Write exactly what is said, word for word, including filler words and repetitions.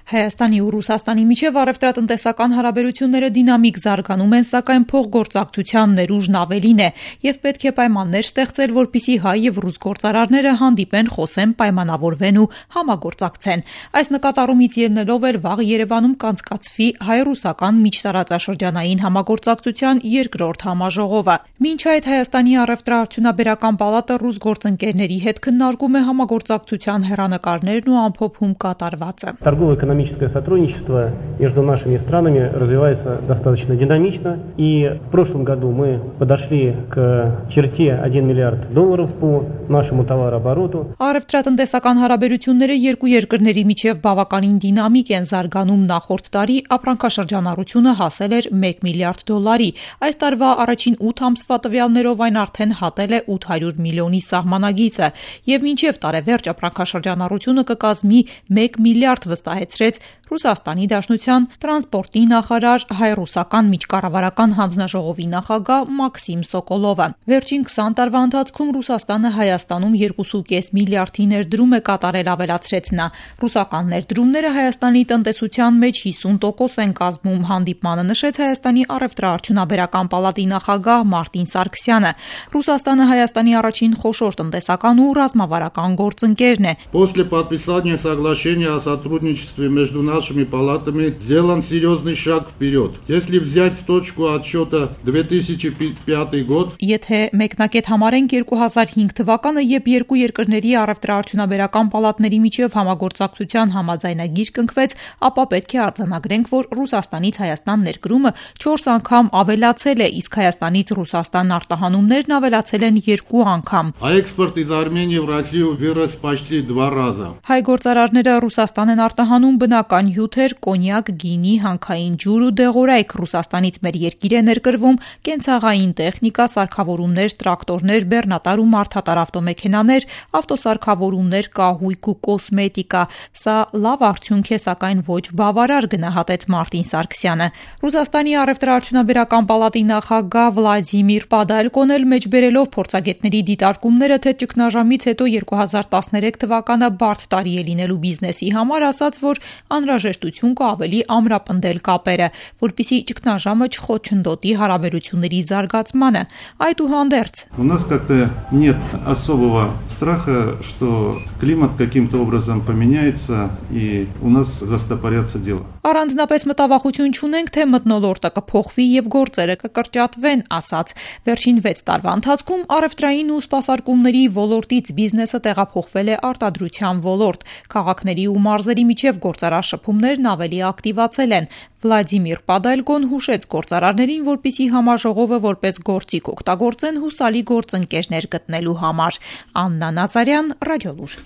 Հայաստանի ու Ռուսաստանի միջև առևտրատնտեսական հարաբերությունները դինամիկ զարգանում են, սակայն փոխգործակցության ներուժն ավելին է եւ պետք է պայմաններ ստեղծել, որպեսզի հայ եւ ռուս գործարարները հանդիպեն, խոսեն, պայմանավորվեն ու համագործակցեն։ Այս նկատառումից ելնելով էր վաղ Երևանում կանցկացվի հայ-ռուսական միջտարածաշրջանային համագործակցության երկրորդ համաժողովը։ Մինչ այդ Հայաստանի առևտրաարդյունաբերական պալատը ռուս գործընկերների հետ քննարկում է համագործակցության հեռանկարներն ու ամփոփում կատարվածը։ Торгово-экономическое сотрудничество между нашими странами развивается достаточно динамично, и в прошлом году мы подошли к черте один миллиард долларов по нашему товарообороту. Առևտրատնտեսական հարաբերությունները երկու երկրների միջև բավականին դինամիկ են զարգանում։ Նախորդ տարի ապրանքաշրջանառությունը հասել էր մեկ միլիարդ դոլարի։ Այս տարվա առաջին ութ ամսվա տվյալներով այն արդեն հատել է ութ հարյուր միլիոնի սահմանագիծը, եւ մինչեւ տարեվերջ ապրանքաշրջանառությունը կկազմի մեկ միլիարդ, վստահեցրեց Ռուսաստանի Դաշնության տրանսպորտի նախարար, հայ-ռուսական միջկառավարական հանձնաժողովի նախագահ Մաքսիմ Սոկոլովը։ Վերջին քսան տարվա ընթացքում Ռուսաստանը Հայաստանում երկու կես միլիարդի ներդրում է կատարել, ավելացրեց նա։ Ռուսական ներդրումները Հայաստանի տնտեսության մեջ հիսուն տոկոս են կազմում, հանդիպմանը նշեց Հայաստանի առևտրաարդյունաբերական պալատի նախագահ Մարտին Սարգսյանը։ Ռուսաստանը Հայաստանի առաջին խոշոր տնտեսական ու ռազմավարական գործընկերն է։ После подписания соглашения о сотрудничестве между нашими палатами сделан серьезный шаг вперед. Если взять точку отсчета две тысячи пятый год, եթե մեկնակետ համարենք երկու հազար հինգ թվականը, երբ երկու երկրների առևտրաարդյունաբերական պալատների միջև համագործակցության համաձայնագիր կնքվեց, ապա պետք է արձանագրենք, որ Ռուսաստանից Հայաստան ներկրումը չորս անգամ ավելացել է, իսկ Հայաստանից Ռուսաստան արտահանումներն ավելացել են երկու անգամ։ А экспорт из Армении в Россию вырос почти два раза. Հայ գործարարները Ռուսաստան են արտահանում բնական հյութեր, կոնյակ, գինի, հանքային ջուր ու դեղորայք։ Ռուսաստանից մեր երկիր է ներկրվում կենցաղային տեխնիկա, սարքավորումներ, տրակտորներ, բեռնատար ու մարդատար ավտոմեքենաներ, ավտոսարքավորումներ, կահույք ու կոսմետիկա։ Սա լավ արդյունք է, սակայն ոչ բավարար, գնահատեց Մարտին Սարգսյանը։ Ռուսաստանի առևտրաարդյունաբերական պալատի նախագահ Վլադիմիր Պադալկոն էլ մեջբերելով փորձագետների դիտարկումները, թե ճգնաժամից հետո երկու հազար տասներեք թվականը բարդ տարի է լինելու բիզնեսի համար, ասաց, որ անհրաժեշտություն կա ավելի ամրապնդել կապերը, որպեսզի ճգնաժամը չխոչընդոտի հարաբերությունների զարգացմանը։ Այդուհանդերձ У нас как-то нет особого страха, что климат каким-то образом поменяется и у нас застопорятся дела. Առանձնապես մտավախություն չունենք, թե մթնոլորտը կփոխվի եւ գործերը կկրճատվեն, ասաց։ Վերջին վեց տարվա ընթացքում առևտրային ու սպասարկումների ոլորտից բիզնեսը տեղափոխվել է արտադրության ոլորտ։ Քաղաքների ու մարզերի միջև գործարար շփումներն ավելի ակտիվացել են։ Վլադիմիր Պադալկոն հուշեց գործարարներին, որպեսզի համաժողովը որպես գործիք օգտագործեն հուսալի գործընկերներ գտնելու համար։ Աննա Նազարյան, Ռադիոլուր։